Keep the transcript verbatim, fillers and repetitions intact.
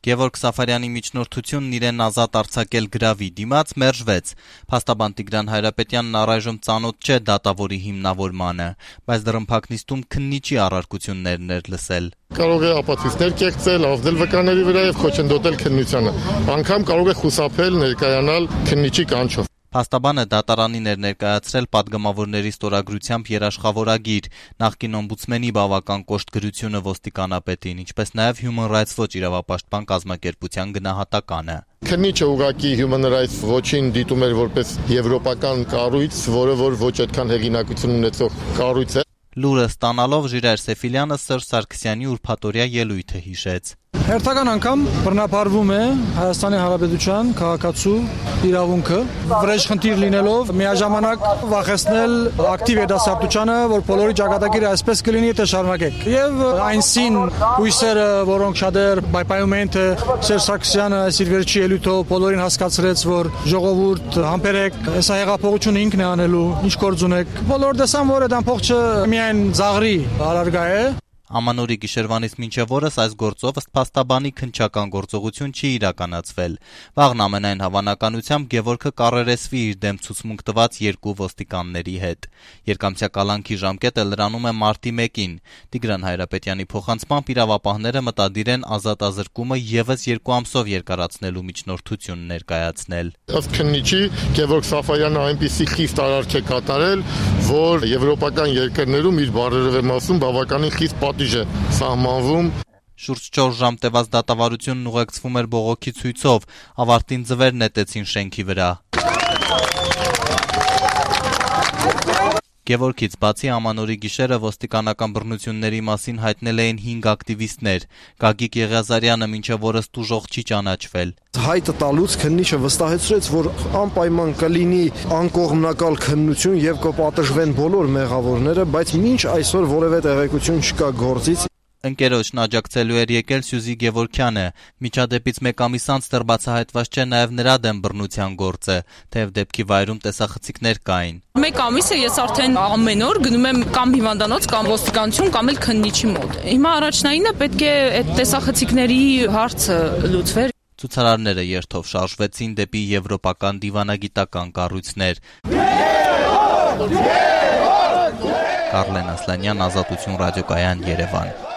Գևորգ Սաֆարյանի միջնորդությունն իրեն ազատ արձակել գրավի դիմաց մերժվեց։ Փաստաբան Տիգրան Հայրապետյանն առայժմ ծանոթ չէ դատավորի հիմնավորմանը, բայց դռնփակ նիստում քննիչի առարկություններն էր լսել։ Կարող է ապացույցներ կեղծել, ազդել վկաների վրա եւ խոչընդոտել քննությանը։ Անգամ կարող է խուսափել ներկայանալ քննիչի կանչով։ Փաստաբանը դատարանին էր ներկայացրել պատգամավորների ստորագրությամբ երաշխավորագիր, նախկին օմբուդսմենի բավական կոշտ գրությունը ոստիկանապետին, ինչպես նաև Human Rights Watch իրավապաշտպան կազմակերպության գնահատականը։ Քննիչը ուղղակի Human Rights Watch-ին դիտում էր որպես եվրոպական կառույց, որը որ ոչ այդքան հեղինակություն ունեցող կառույց է։ Լուրը ստանալով Ժիրայր Սեֆիլյանը Սերժ Սարգսյանի ուրբաթօրյա ելույթը հիշեց։ Հերթական անգամ բռնապարվում է Հայաստանի Հանրապետության քաղաքացու իրավունքը, վրեժխնդիր լինելով միաժամանակ վախեցնել ակտիվ երիտասարդությանը, որ բոլորի ճակատագիրը այսպես կլինի, թե շարունակեք։ Եվ այնսին հույսերը, որոնք շատեր պայպայում են, թե Սերժ Սարգսյանը այս իր վերջի ելույթով բոլորին հասկացրեց, որ ժողովուրդ համբերեք, հեսա հեղափոխությունը ինքն է անելու, ինչ գործ ունեք։ Բոլորը տեսան, որ այդ ամբողջը միայն զաղրի առարգա է։ Ամանորի գիշերվանից մինչև օրս այս գործով ըստ փաստաբանի քննչական գործողություն չի իրականացվել։ Վաղն ամենայն հավանականությամբ Գևորգը կառերեսվի իր դեմ ցուցմունք տված երկու ոստիկանների հետ։ Երկամսյա կալանքի ժամկետը լրանում է մարտի մեկին։ Տիգրան Հայրապետյանի փոխանցմամբ իրավապահները մտադիր են ազատազրկումը եւս երկու ամսով երկարացնելու միջնորդություն ներկայացնել։ Ըստ քննիչի Գևորգ Սաֆարյանը այնպիսի խիստ արարք է կատարել, որ եվրոպական երկրներում իր բարերարումասում բավականին խիստ պատիժ է սահմանվում։ Շուրջ չորս ժամ տևած դատավարությունն ուղեկցվում էր բողոքի ցույցով, ավարտին ձվեր նետեցին շենքի վրա։ Գևորգից բացի Ամանորի գիշերը ոստիկանական բռնությունների մասին հայտնել էին հինգ ակտիվիստներ։ Գագիկ Եղիազարյանը մինչև օրս տուժող չի ճանաչվել։ Հայտը տալուց քննիչը վստահեցրեց, որ անպայման կլինի անկողմնակալ քննություն եւ կպատժվեն բոլոր մեղավորները, բայց մինչ այսօր որևէ տեղեկություն չկա գործից։ Ընկերոջն աջակցելու էր եկել Սյուզի Գևորգյանը։ Միջադեպից մեկ ամիս անց դեռ բացահայտված չէ նաև նրա դեմ բռնության գործը, թեև դեպքի վայրում տեսախցիկներ կային։ Մեկ ամիս է ես արդեն ամեն օր գնում եմ կամ հիվանդանոց, կամ ոստիկանություն, կամ էլ քննիչի մոտ։ Հիմա առաջնայինը պետք է այդ տեսախցիկների հարցը լուծվեր։ Ցուցարարները երթով շարժվեցին դեպի եվրոպական դիվանագիտական կառույցներ։ Կարլեն Ասլանյան, Ազատություն ռադիոկայան, Երևան։